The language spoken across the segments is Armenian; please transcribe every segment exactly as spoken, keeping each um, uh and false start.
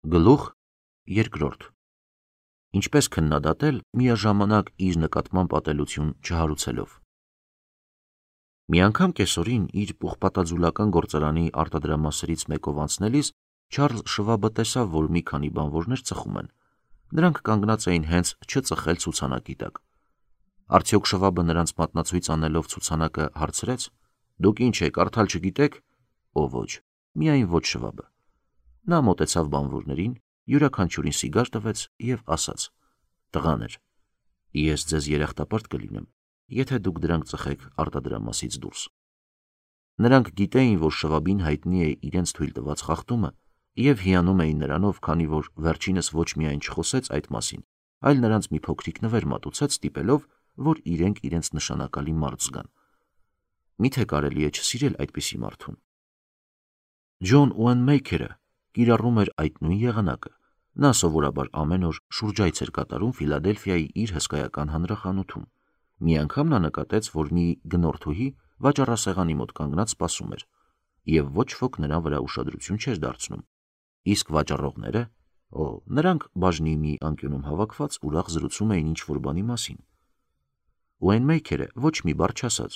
Գլուխ երկրորդ. Ինչպես քննադատել միաժամանակ իր նկատմամբ ատելություն չհարուցելով։ Մի անգամ կեսօրին իր պուխպատաձուլական գործարանի արտադրամասերից մեկով անցնելիս Չարլզ Շվաբը տեսավ, որ մի քանի բանվորներ ծխում են։ Նրանք կանգնած էին հենց չծխել ցուցանակի տակ։ Արդյոք Շվաբը նրանց մատնացույց անելով ցուցանակը հարցրեց. «Դուք ինչ եք, կարդալ չգիտեք»։ Ո ոչ, միայն ոչ Շվաբը։ Նա մոտեցավ բանվորներին, յուրաքանչյուրին սիգար տվեց և ասաց. «Տղաներ, ես ձեզ երախտապարտ կլինեմ, եթե դուք դրանք ծխեք արտադրամասից դուրս»։ Նրանք գիտեին, որ Շվաբին հայտնի է իրենց թույլ տված խախտումը և հիանում էին նրանով, քանի որ վերջինս ոչ միայն չխոսեց այդ մասին, այլ նրանց մի փոքրիկ նվեր մատուցեց, ստիպելով, որ իրենք իրենց նշանակալի մարդ զգան։ Միթե կարելի է չսիրել այդպիսի մարդուն։ Ջոն Ուենմեյքերը կիրառում էր այդ նույն եղանակը։ Նա սովորաբար ամեն օր շուրջայց էր կատարում Ֆիլադելֆիայի իր հսկայական հանրախանութում։ Մի անգամ նա նկատեց, որ մի գնորդուհի վաճառասեղանի մոտ կանգնած սպասում էր, և ոչ ոք նրա վրա ուշադրություն չէր դարձնում։ Իսկ վաճառողները, օ, նրանք բաժնի մի անկյունում հավաքված ուրախ զրուցում էին ինչ-որ բանի մասին։ Ուենմեյքերը ոչ մի բառ չասաց։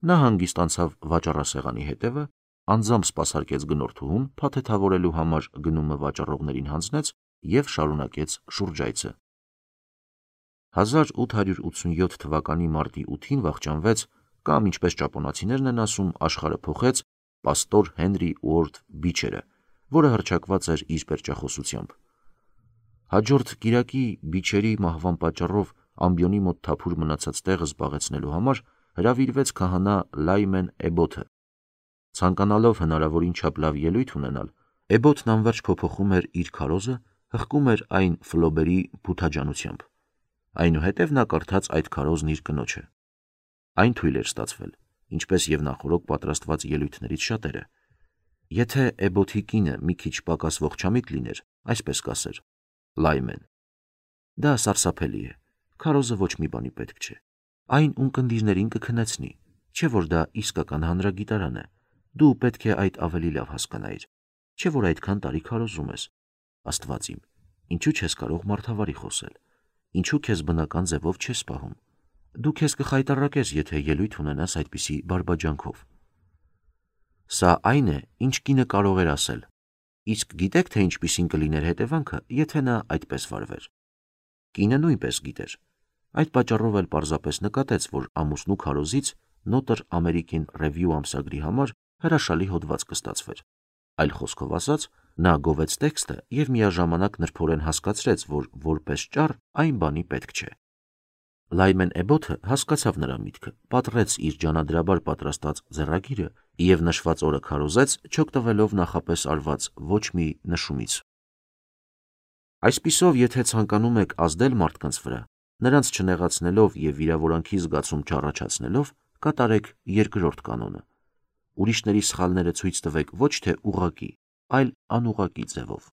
Նա հանգիստ անցավ վաճառասեղանի հետևը, անձամբ սպասարկեց գնորդուհուն փաթեթավորելու համար գնումը վաճառողներին հանձնեց և շարունակեց շուրջայցը։ հազար ութ հարյուր ութսունյոթ թվականի մարտի ութին վախճանվեց, կամ ինչպես ճապոնացիներն են ասում, աշխարհը փոխեց պաստոր Հենրի Ուորդ Բիչերը, որը հռչակված էր իր պերճախոսությամբ։ Հաջորդ կիրակի Բիչերի մահվան պատճառով ամբիոնի մոտ թափուր մնացած տեղը զբաղեցնելու համար հրավիրվեց քահանա Լայմեն Էբոթը։ Ցանկանալով հնարավորին չափ լավ ելույթ ունենալ, Էբոթն անվերջ փոփոխում էր իր քարոզը, հղկում էր այն Ֆլոբերի փութաջանությամբ։ Այնուհետև նա կարդաց այդ քարոզն իր կնոջը։ Այն թույլ էր ստացվել, ինչպես և նախօրոք պատրաստված ելույթներից շատերը։ Եթե Էբոթի կինը մի քիչ պակաս ողջամիտ լիներ, այսպես կասեր. Լայմեն, դա սարսափելի է, քարոզը ոչ մի բանի պետք չէ։ Այն ունկնդիրներին կքնեցնի, չէ որ դա իսկական հանրագիտարան է։ Դու պետք է այդ ավելի լավ հասկանայիր, չէ որ այդքան տարի քարոզում ես։ Աստված իմ, ինչու չես կարող մարդավարի խոսել, ինչու քեզ բնական ձևով չես պահում։ Դու քեզ կխայտառակես, եթե ելույթ ունենաս այդպիսի բարբաջանքով։ Սա այն է, ինչ կինը կարող էր ասել։ Իսկ գիտեք, թե ինչպիսին կլիներ հետևանքը, եթե նա այդպես վարվեր։ Կինը նույնպես գիտեր։ Այդ պատճառով էլ պարզապես նկատեց, որ ամուսնու քարոզից Նոտր Ամերիկին Ռևյու ամսագրի համար հրաշալի հոդված կստացվեր։ Այլ խոսքով ասած, նա գովեց տեքստը և միաժամանակ նրբորեն հասկացրեց, որ որպես ճառ այն բանի պետք չէ։ Լայմեն Էբոթը հասկացավ նրա միտքը, պատռեց իր ջանադրաբար պատրաստած ձեռագիրը և նշված օրը քարոզեց, չօգտվելով նախապես արված ոչ մի նշումից։ Այսպիսով, եթե ցանկանում եք ազդել մարդկանց վրա, նրանց չնեղացնելով և վիրավորանքի զգացում չառաջացնելով, կատարեք երկրորդ կանոնը։ Ուրիշների սխալները ցույց տվեք ոչ թե ուղղակի, այլ անուղղակի ձևով։